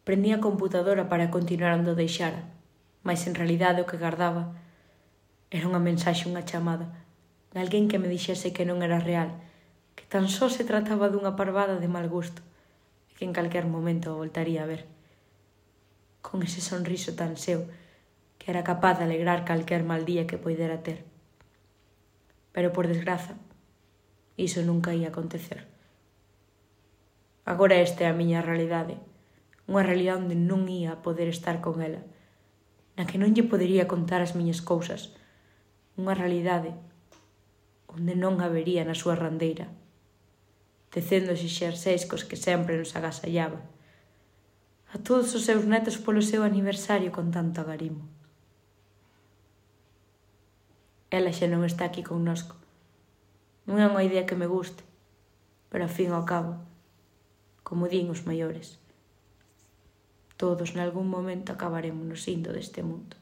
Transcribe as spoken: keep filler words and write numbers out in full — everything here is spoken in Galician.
Prendí a computadora para continuar onde o deixara, mas en realidade o que gardaba era unha mensaxe, unha chamada, de alguén que me dixese que non era real, que tan só se trataba dunha parvada de mal gusto, e que en calquer momento o voltaría a ver. Con ese sonriso tan seu, que era capaz de alegrar calquer mal día que poidera ter. Pero, por desgraza, iso nunca ia acontecer. Agora esta é a miña realidade, unha realidade onde non ia poder estar con ela, na que non lle podería contar as miñas cousas, unha realidade onde non habería na súa randeira, tecendo os xerseis cos que sempre nos agasallaba, a todos os seus netos polo seu aniversario con tanto agarimo. Ela xa non está aquí connosco. Non é unha idea que me guste, pero ao fin e ao cabo, como din os maiores, todos nalgún momento acabaremos indo deste mundo.